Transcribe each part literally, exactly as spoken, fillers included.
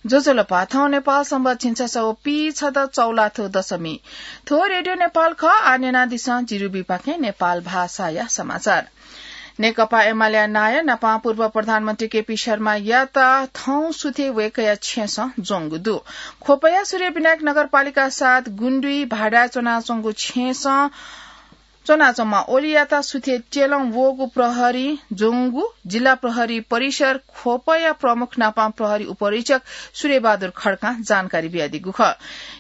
ज्वजलपा, थौं नेपाल संवत् झिंछसः व पीछदँ चौलाथ्व दशमी। थ्व रेडियो नेपाल खः। आः न्यनादिसँ जिरुबीपाखें नेपाल भाषाया समाचार। नेकपा एमालेया नायः नापं पूर्व प्रधानमन्त्री केपी शर्मायात थौं सुथय् वय्कःया छेँसं ज्वंगु दु। ख्वपया सूर्यविनायक नगरपालिका सात गुण्डुइ भाडाय् च्वनाच्वंगु छेँसं च्वनाच्वंम्ह ओलीयात सुथय् त्यलं वःगु प्रहरीं ज्वंगु जिल्ला प्रहरी परिसर ख्वपया प्रमुख नापं प्रहरी उपरीक्षक सूर्यबहादुर खड्कां जानकारी बियादीगु खः।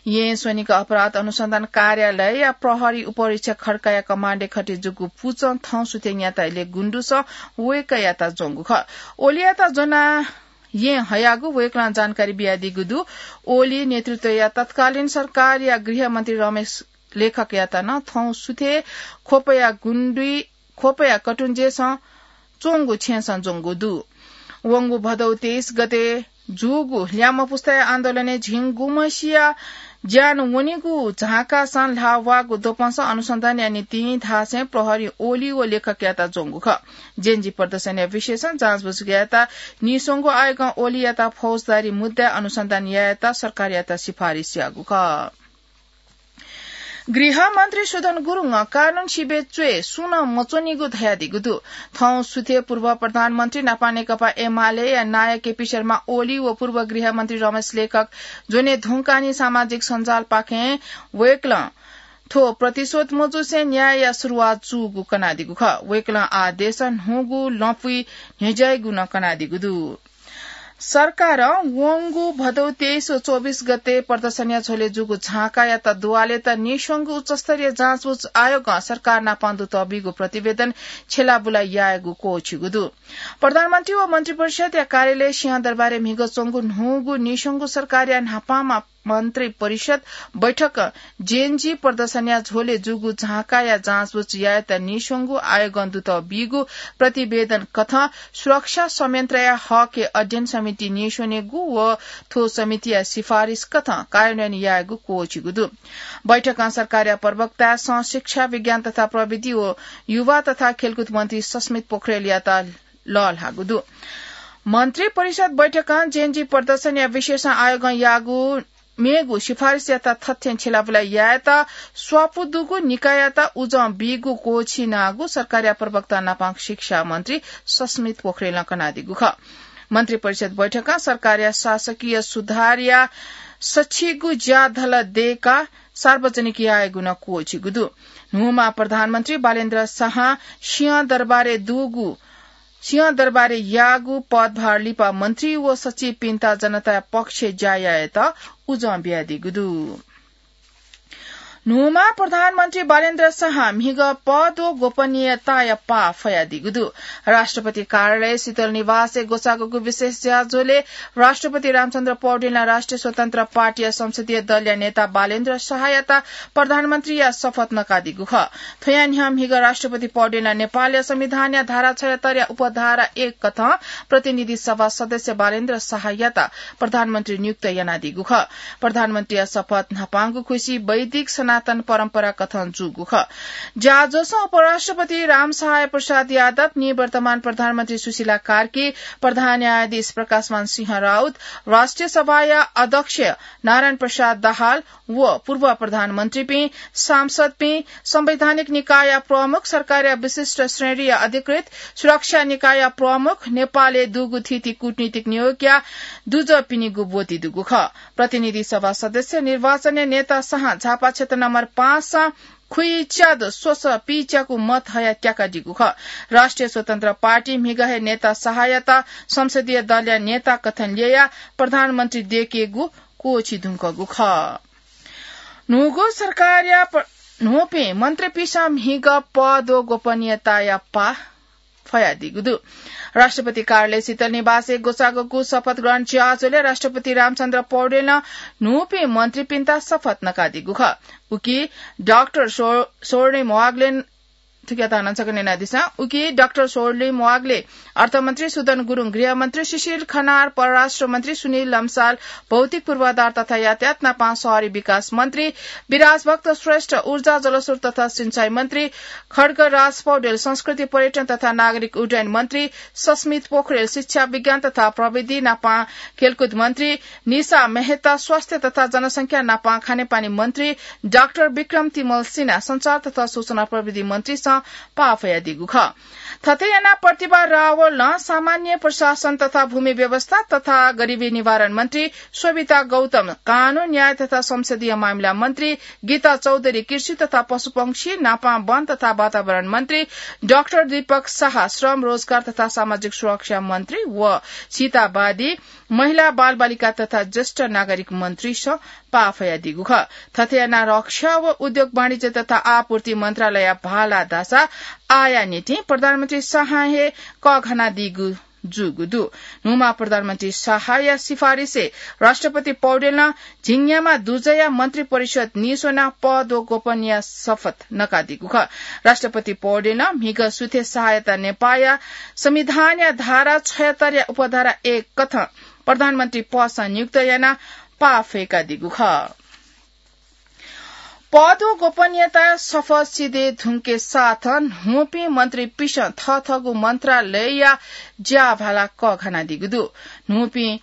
येँ स्वनिक अपराध अनुसन्धान कार्यालयया प्रहरी उपरीक्षक खड्काया कमाण्डय् खटे जूगु पुचं थौं सुथय् न्याता इलय् गुण्डुसं वय्कःयात ज्वंगु खः। ओलीयात ज्वनाः येँ हयागु वय्कलं जानकारी बियादीगु दु। ओली नेतृत्वया तत्कालीन सरकारया गृहमन्त्री रमेश लेखकयात नं थौं सुथय् ख्वपया गुण्डुइ, ख्वपया कटुंजेसं च्वंगु छेँसं ज्वंगु दु। वंगु भदौ तेइस गते जूगु ल्याय्म्ह पुस्ताया आन्दोलनय् झिंगुम्हसिया ज्यान वनीगु झाँकासं ल्हाः वःगु द्वपंसं अनुसन्धानया निंतिं धासें प्रहरीं ओली व लेखकयात ज्वंगु खः। जेनजी प्रदर्शनया विषयसं जाँचबुझ यायेत नीस्वंगु आयोगं ओलीयात फौजदारी मुद्दाय् अनुसन्धान यायेत सरकारयात सिफारिस याःगु खः। गृहमन्त्री सुदन गुरुङं कानून सिबय् च्वय् सुं नं मच्वनीगु धयादीगु दु। थौं सुथय् पूर्व प्रधानमन्त्री नापं नेकपा एमालेया नायः केपी शर्मा ओली व पूर्व गृहमन्त्री रमेश लेखक ज्वने धुंकाः नं सामाजिक सञ्जालपाखें वय्कलं थ्व प्रतिशोध मजूसें न्यायया सुरुवात जूगु कनादीगु खः। वय्कलं आः देशं न्हूगु लँपुइ न्ह्यज्याइगु नं कनादीगु दु। सरकारं वंगु भदौ तेइस व चौबिस गते प्रदर्शनया झ्वलय् जूगु झाँकायात दुवालेत नीस्वंगु उच्चस्तरीय जाँचबुझ आयोगं सरकार नापं दुत बीगु प्रतिवेदन छ्यलाबुला यायेगु क्वःछिगु दु। प्रधानमन्त्री व मन्त्रिपरिषदया कार्यालय सिंहदरबारय् म्हिगः च्वंगु न्हूगु नीस्वंगु सरकारया न्हापांम्ह मन्त्रिपरिषद बैठकं जेनजी प्रदर्शनया झ्वलय् जूगु झाँकाया जाँचबुझ यायेत नीस्वंगु आयोगं दुत बीगु प्रतिवेदन कथं सुरक्षा संयन्त्रया हकय् अध्ययन समिति नीस्वनेगु व थ्व समितिया सिफारिस कथं कार्यान्वयन यायेगु क्वःछिगु दु। बैठकं सरकारया प्रवक्ता सह शिक्षा, विज्ञान तथा प्रविधि व युवा तथा खेलकुद मन्त्री सस्मित पोखरेलयात लःल्हाःगु दु। मन्त्रिपरिषद बैठकं जेनजी प्रदर्शनया विषयसं आयोगं याःगु मेगु सिफारिसयात थथें छ्यलाबुला यायेत स्वापू दुगु निकाययात उजं बीगु क्वःछिनागु सरकारया प्रवक्ता नापं शिक्षा मन्त्री सस्मित पोखरेलं कनादीगु खः। मन्त्रिपरिषद बैठकं सरकारया शासकीय सुधारया सछिगु ज्याधल दय्काः सार्वजनिक यायेगु नं क्वःछिगु दु। न्हूम्ह प्रधानमन्त्री बालेन्द्र शाहं सिंहदरबारय् दुगु सिंहदरबारय् याःगु पदभार लिपा मन्त्री व सचिवपिन्त जनताया पक्षय् ज्या यायेत उजं बियादीगु दु। न्हूम्ह प्रधानमन्त्री बालेन्द्र शाहं म्हिगः पद व गोपनीयताया पाः फयादीगु दु। राष्ट्रपति कार्यालय शीतल निवासय् ग्वसाःगु विशेष ज्याझ्वलय् राष्ट्रपति रामचन्द्र पौडेलं राष्ट्रिय स्वतन्त्र पार्टीया संसदीय दलया नेता बालेन्द्र शाहयात प्रधानमन्त्रीया शपथ नकादीगु खः। थ्वया न्ह्यः म्हिगः राष्ट्रपति पौडेलं नेपालया संविधानया धारा छयहत्तरया उपधारा एक कथं प्रतिनिधि सभा सदस्य बालेन्द्र शाहयात प्रधानमन्त्री नियुक्त यानादीगु खः। प्रधानमन्त्रीया शपथ न्हापांगु खुसी वैदिक सनातन परम्परा कथं जूगु खः। ज्याझ्वलय् उपराष्ट्रपति रामसहाय प्रसाद यादव, निवर्तमान प्रधानमन्त्री सुशीला कार्की, प्रधान न्यायाधीश प्रकाशमान सिंह राउत, राष्ट्रिय सभाया अध्यक्ष नारायण प्रसाद दाहाल, व पूर्व प्रधानमन्त्रीपिं, सांसदपिं, संवैधानिक निकायया प्रमुख, सरकारया विशिष्ट श्रेणीया अधिकृत, सुरक्षा निकायया प्रमुख, नेपालय् दुगु थीथी कूटनीतिक नियोगया दुजःपिनिगु ब्वति दुगु खः। प्रतिनिधि सभा सदस्य निर्वाचनय् नेता शाहं झापा क्षेत्र नम्बर पाँचसं खुइच्यादँ स्वसः पिच्याकू मत हयाः त्याकादीगु खः। राष्ट्रिय स्वतन्त्र पार्टी म्हिगः हे नेता शाहयात संसदीय दलया नेता कथं ल्ययाः प्रधानमन्त्री दयेकेगु क्वःछी धुंकूगु खः। न्हूगु सरकारया प-, न्हूपिं मन्त्रीपिसं म्हिगः पद व गोपनीयताया पाः फयादीगु दु। राष्ट्रपति कार्यालय शीतल निवासय् ग्वसाःगु शपथ ग्रहण ज्याझ्वलय् राष्ट्रपति रामचन्द्र पौडेलं न्हूपिं मन्त्रीपिन्त शपथ नकादीगु खः। उकी डाक्टर स्व-, स्वर्णिम वाग्लेन थुकियात नं छकः न्यनादिसँ। उकी डाक्टर सोरलिम वाग्ले, अर्थमन्त्री सुदन गुरुङ, गृहमन्त्री सुशील खनार, परराष्ट्र मन्त्री सुनिल लम्साल, भौतिक पूर्वाधार तथा यातायात नापं शहरी विकास मन्त्री विराज भक्त श्रेष्ठ, ऊर्जा जलस्रोत तथा सिंचाई मन्त्री खड्गराज पौडेल, संस्कृति पर्यटन तथा नागरिक उड्डयन मन्त्री सस्मित पोखरेल, शिक्षा विज्ञान तथा प्रविधि नापं खेलकुद मन्त्री निशा मेहता, स्वास्थ्य तथा जनसंख्या नापं खानेपानी मन्त्री डाक्टर विक्रम तिमल सिन्हा, संचार तथा सूचना प्रविधि मन्त्रीसं पाफयादीगु खः। थथे यानाः प्रतिभा रावल नं सामान्य प्रशासन तथा भूमि व्यवस्था तथा गरिबी निवारण मन्त्री शोभिता गौतम, कानून न्याय तथा संसदीय मामिला मन्त्री गीता चौधरी, कृषि तथा पशुपंक्षी नापं वन तथा वातावरण मन्त्री डाक्टर दीपक शाह, श्रम रोजगार तथा सामाजिक सुरक्षा मन्त्री व सीतावादी, महिला, बालबालिका तथा ज्येष्ठ नागरिक मन्त्रीसं पाफयादीगु खः। थथे यानाः रक्षा व उद्योग वाणिज्य तथा आपूर्ति मन्त्रालय भाला धाःसा आःया निंतिं प्रधानमन्त्री शाहं हे कःघानादीगु जूगु दु। न्हूम्ह प्रधानमन्त्री शाहया सिफारिसय् राष्ट्रपति पौडेलं झिंन्याम्ह दुजःया मन्त्री परिषद नीस्वनाः पद व गोपनीयता शपथ नकादीगु खः। राष्ट्रपति पौडेलं म्हिगः सुथय् शाहयात नेपाःया संविधानया धारा छयहत्तरया उपधारा एक कथं प्रधानमन्त्री पदसं नियुक्त यानाः पाफय्कादीगु खः। पद व गोपनीयताया शपथ सिधये धुंके साथ न्हूपिं मन्त्रीपिंसं थःथःगु मन्त्रालयया ज्याभाला कःघानादीगु दु। न्हूपिं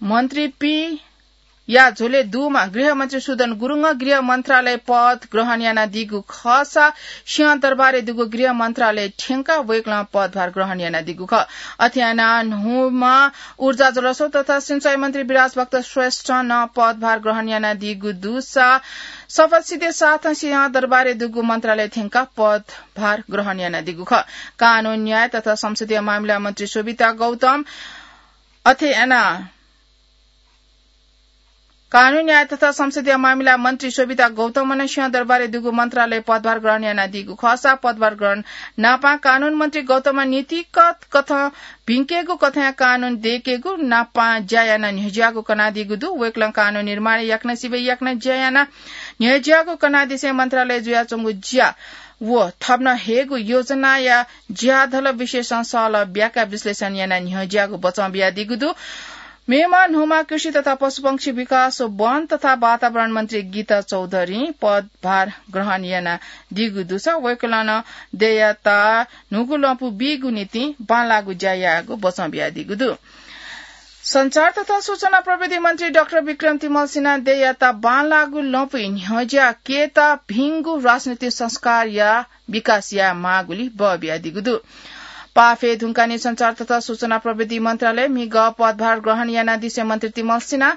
मन्त्रीपिंया झ्वलय् दुम्ह गृहमन्त्री सुदन गुरुङं गृह मन्त्रालय पद ग्रहण यानादीगु खःसा सिंहदरबारय् दुगु गृह मन्त्रालय थ्यंकाः वय्कलं पदभार ग्रहण यानादीगु खः। अथे यानाः न्हूम्ह ऊर्जा जलस्रोत तथा सिंचाई मन्त्री विराज भक्त श्रेष्ठं नं पदभार ग्रहण यानादीगु दुसा शपथ सिधये साथं सिंहदरबारय् दुगु मन्त्रालय थ्यंकाः पदभार ग्रहण यानादीगु खः। कानून न्याय तथा संसदीय मामिला मन्त्री शोभिता गौतम अथे यानाः कानून न्याय तथा संसदीय मामिला मन्त्री शोभिता गौतमं नं सिंहदरबारय् दुगु मन्त्रालय पदभार ग्रहण यानादीगु खःसा पदभार ग्रहण नापं कानून मन्त्री गौतमं नीतिगत कथं भिंकेगु कथंया कानून दयेकेगु नापं ज्या यानाः न्ह्यज्याःगु कनादीगु दु। वय्कलं कानून निर्माणय् याकनं सिबय् याकनं ज्या यानाः न्ह्यज्याःगु कनादिसें मन्त्रालयय् जुयाच्वंगु ज्या व थप नं हयेगु योजनाया ज्याधल विषयसं सहलह ब्याकाः विश्लेषण यानाः न्ह्यज्याःगु बचं बियादीगु दु। मेम्ह न्हूम्ह कृषि तथा पशुपंक्षी विकास व वन तथा वातावरण मन्त्री गीता चौधरीं पदभार ग्रहण यानादीगु दुसा वय्कलं नं देय्‌यात न्हूगु लँपु बीगु निंतिं बांलाःगु ज्या याःगु बचं बियादीगु दु। संचार तथा सूचना प्रविधि मन्त्री डाक्टर विक्रम तिमल सिन्हां देय्‌यात बांलाःगु लँपुइ न्ह्यज्याकेत भिंगु राजनीतिक संस्कारया विकास यायेमाःगुलिं बः बियादीगु दु। पाफे धुंकाः नं संचार तथा सूचना प्रविधि मन्त्रालयय् म्हिगः पदभार ग्रहण यानादिसें मन्त्री तिमल सिन्हां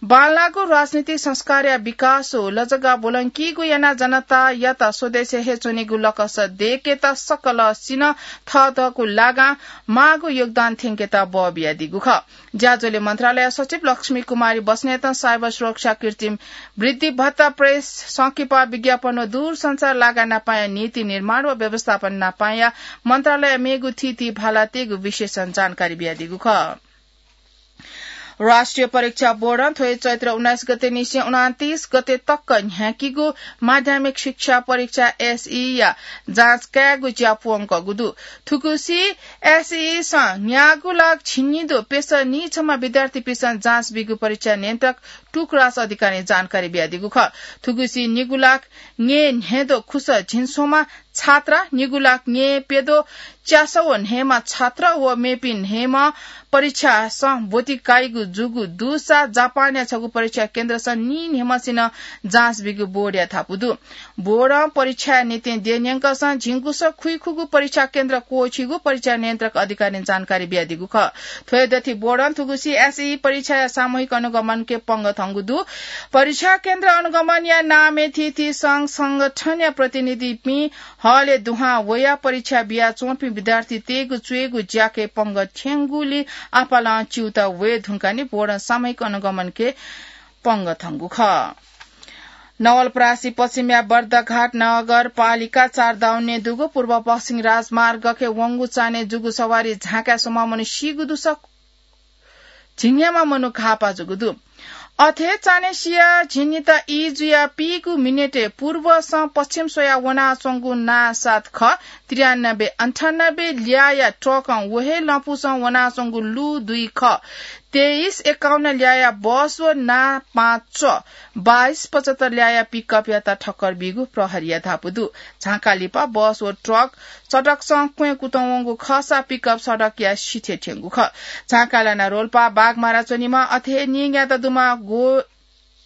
बांलाःगु राजनीतिक संस्कारया विकास व लजगाः ब्वलंकीगु यानाः जनतायात स्वदेशय् हे च्वनेगु लकस दयेकेत सकलसिनं थःथःगु लागां माःगु योगदान थ्यंकेत बः बियादीगु खः। ज्याझ्वलय् मन्त्रालय सचिव लक्ष्मी कुमारी बस्नेतं साइबर सुरक्षा, कृत्रिम वृद्धि भत्ता, प्रेस, संकिपा, विज्ञापन व दूरसञ्चार लागां नापंया नीति निर्माण व व्यवस्थापन नापंया मन्त्रालयया मेगु थीथी भालातय्‌गु विशेषं जानकारी बियादीगु खः। राष्ट्रिय परीक्षा बोर्डं थ्व हे चैत्र उन्नाइस गते निसें उनन्तीस गते तक न्ह्याकीगु माध्यमिक शिक्षा परीक्षा एसईई या जाँच कायेगु ज्या प्वंकूगु दु। थुगुसी एसईई सं न्यागू लाख झिंनिदँ प्यसः नीछम्ह विद्यार्थीपिसं जाँच बीगु परीक्षा नियन्त्रक टुकराज अधिकारीं जानकारी बियादीगु खः। थुगुसी निगू लाख न्यय् न्हय्दँ खुसः झिंस्वम्ह छात्रा, निगू लाख न्यय् प्यदँ च्यासः व न्हय्म्ह छात्र व मेपिं न्हय्म्ह परीक्षासं ब्वति काइगु जूगु दुसा जापानया छगू परीक्षा केन्द्रसं नीन्हय्म्हसिनं जाँच बीगु बोर्डया धापू दु। बोर्डं परीक्षाया निंतिं देय्‌न्यंकसं झिंगुसः खुइखुगू परीक्षा केन्द्र क्वःछीगु परीक्षा नियन्त्रक अधिकारीं जानकारी बियादीगु खः। थ्व हे दथुइ बोर्डं थुगुसी एसईई परीक्षाया सामूहिक अनुगमनके पंगः थंगु दु। परीक्षा केन्द्र अनुगमनया नामय् थीथी संघ संगठनया प्रतिनिधिपिं हलय् दुहां वयाः परीक्षा बियाच्वंपिं विद्यार्थीतय्‌गु च्वय्‌गु ज्याके पंगः थ्यंगुलिं आपालं च्यूताः वये धुंकाः नं बोर्डं सामूहिक अनुगमनके पंगः थंगु खः। नवलपरासी पश्चिमया बर्दाघाट नगरपालिका चार दाउन्ने दुगु पूर्व पश्चिम राजमार्गके वंगु चान्हय् जूगु सवारी झाँकाय् स्वम्ह मनू सीगु दुसा झिंन्याम्ह मनू घाःपाः जूगु दु। अथे चान्हय् सिया झिंनिता ई जुया पीगु मिनेटय् पूर्वसं पश्चिम स्वया वनाच्वंगु नासात खः त्रियानब्बे अन्ठानब्बे ल्याया ट्रकं व हे लँपुसं वनाच्वंगु लु दुई खः तेइस एकाउन्न ल्याया बस व ना पाँच च बाइस पचहत्तर ल्याया पिकअपयात ठक्कर बीगु प्रहरीया धापू दु। झांकालिपा बस व ट्रक सडकसं क्वँय् कुतुं वंगु खःसा पिकअप सडकया सिथय् थ्यंगु खः। झांकालाना रोल्पा बाघमारा च्वनीम्ह अथे हे निंग्यात दुम्ह गो-,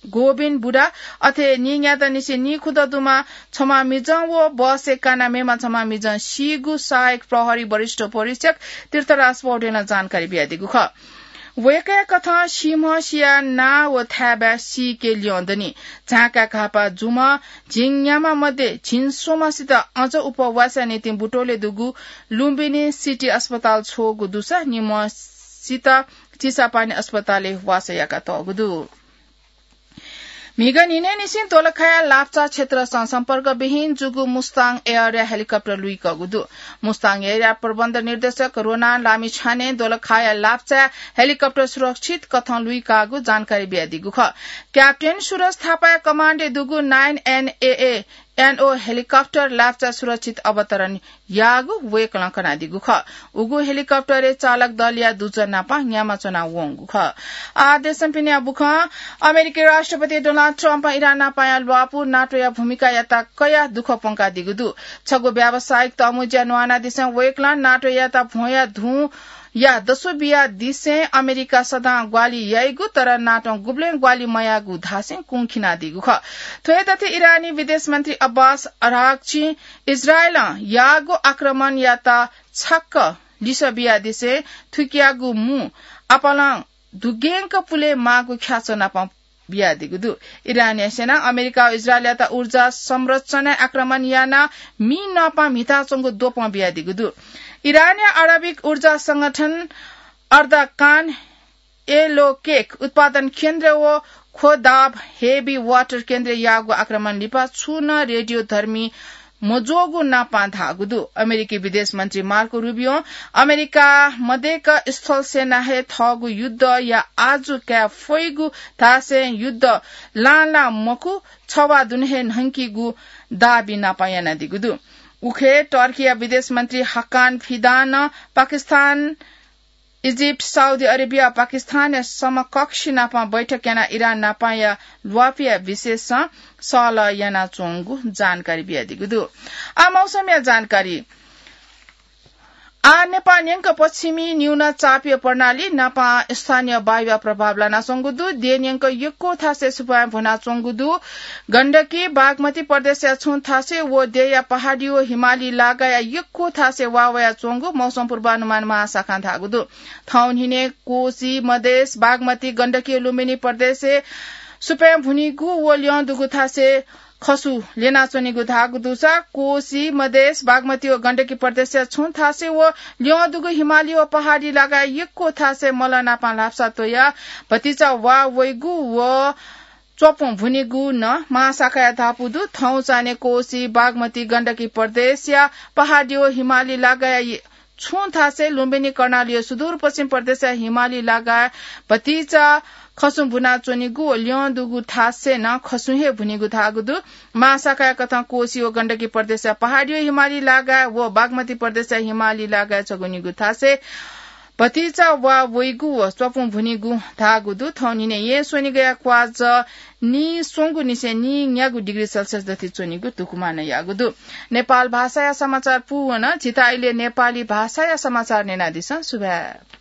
गोविन बुढा, अथे निंग्यात निसें नीखुद दुम्ह छम्ह मिजं व बसय् काना मेम्ह छम्ह मिजं सीगु सहायक प्रहरी वरिष्ठ उपरीक्षक तीर्थराज पौडेलं जानकारी बियादीगु खः। वय्कःया कथं सीम्ह सिया नां व थाय्बाय् सीके ल्यं दनि। झांकाय् घाःपाः जूम्ह झिंन्याम्ह मध्ये झिंस्वम्हसित अझ उपवासया निंतिं बुटोलय् दुगु लुम्बिनी सिटी अस्पताल छ्वःगु दुसा निम्हसित चिसापानी अस्पतालय् वासः याकातःगु दु। म्हिगः न्हिनय्‌निसें दोलखाया लाप्चा क्षेत्रसं सम्पर्कविहीन जूगु मुस्ताङ एयरया हेलिकप्टर लुइकःगु दु। मुस्ताङ एयरया प्रबन्ध निर्देशक रोनान लामिछानें दोलखाया लाप्चाय् हेलिकप्टर सुरक्षित कथं लुइकाःगु जानकारी बियादीगु खः। क्याप्टेन सुरज थापाया कमान्डय् दुगु नाइन एनएए एनओ हेलिकप्टर लाप्चा सुरक्षित अवतरण याःगु वय्कलं कनादीगु खः। उगु हेलिकप्टरय् चालक दलया दुजः नापं न्यामा च्वना वंगु खः। आः देशपिनिया बुखँ। अमेरिकी राष्ट्रपति डोनाल्ड ट्रम्पं इरान नापंया ल्वापु नाटोया भूमिकायात कयाः दुःख प्वंकादीगु दु। छगू व्यावसायिक तःमुँज्या न्वानादिसें वय्कलं नाटोयात भ्वंया धुंया दसु बियादिसें अमेरिका सदां ग्वाहालि याइगु, तर नाटों गुबलें ग्वाहालि मयाःगु धासें कुंखिनादीगु खः। थ्व हे तथ्य इरानी विदेश मन्त्री अब्बास अराघचीं इजरायलं याःगु आक्रमणयात छाक्क लिसः बियादिसें थुकियागु मू आपालं दुग्यंक पुले माःगु ख्याच्वः नापं बियादीगु दु। इरानया सेनां अमेरिका व इजरायलयात ऊर्जा संरचनाय् आक्रमण यानाः मि नःपां म्हिताच्वंगु द्वपं बियादीगु दु। इरानया आणविक ऊर्जा संगठन अर्दाकान एलोकेक उत्पादन केन्द्र व ख्वदाब हेभी वाटर केन्द्रय् याःगु आक्रमण लिपा छुं नं रेडियो धर्मी मज्वःगु नापं धाःगु दु। अमेरिकी विदेश मन्त्री मार्को रुबियों अमेरिका मदय्क स्थल सेना हे थःगु युद्धया आजु काये फइगु धासें युद्ध लां लां मखु, छवाः दुने हे न्हंकीगु दाबी नापं यानादीगु दु। उखे टर्कीया विदेश मन्त्री हाकान फिदानं पाकिस्तान, इजिप्ट, साउदी अरेबिया, पाकिस्तानया समकक्षी नापं बैठक यानाः इरान नापंया ल्वापुया विषयसं सहलह यानाच्वंगु जानकारी बियादीगु दु। आः मौसमया जानकारी। आः नेपाः न्यंक पश्चिमी न्यून चापीय प्रणाली नापं स्थानीय वायुया प्रभाव लानाच्वंगु दु। देय् न्यंक यक्व थासय् सुपाँय् भुनाच्वंगु दु। गण्डकी, बागमती प्रदेशया छुं थासय् व देय्‌या पहाडी व हिमाली लागाया यक्व थासय् वा वयाच्वंगु मौसम पूर्वानुमान महाशाखां धाःगु दु। थौं न्हिनय् कोशी, मधेस, बागमती, गण्डकी व लुम्बिनी प्रदेशय् सुपाँय् भुनीगु व ल्यं दुगु थासय् खसु ल्यनाच्वनीगु धाःगु दुसा कोशी, मधेस, बागमती व गण्डकी प्रदेशया छुं थासय् व ल्यं दुगु हिमाली व पहाडी लागाय् यक्व थासय् मलः नापं ल्हापसा त्वयाः भतिचा वा वइगु व च्वपुं भुनीगु नं महाशाखाया धापू दु। थौं चान्हय् कोशी, बागमती, गण्डकी प्रदेशया पहाडी व हिमाली लागाया छुं थासय् लुम्बिनी कर्णाली व सुदूरपश्चिम प्रदेशया हिमाली लागाय् भतिचा खसुं भुनाच्वनीगु व ल्यं दुगु थासय् नं खसुं हे भुनीगु धाःगु दु। महाशाखाया कथं कोशी व गण्डकी प्रदेशया पहाडी व हिमाली लागाय् व बागमती प्रदेशया हिमाली लागाय् छगू निगू थासय् भतिचा वा वइगु व च्वपुं भुनीगु धाःगु दु। थौं न्हिनय् येँ स्वनिगःया क्वाःझः नीस्वंगुनिसें नीन्यागू डिग्री सेल्सियस दथुइ च्वनीगु धुकुमानं याःगु दु। नेपाल भाषाया समाचार पूवन। झीत आइले नेपाली भाषाया समाचार न्यनादिसँ। सुभाय्।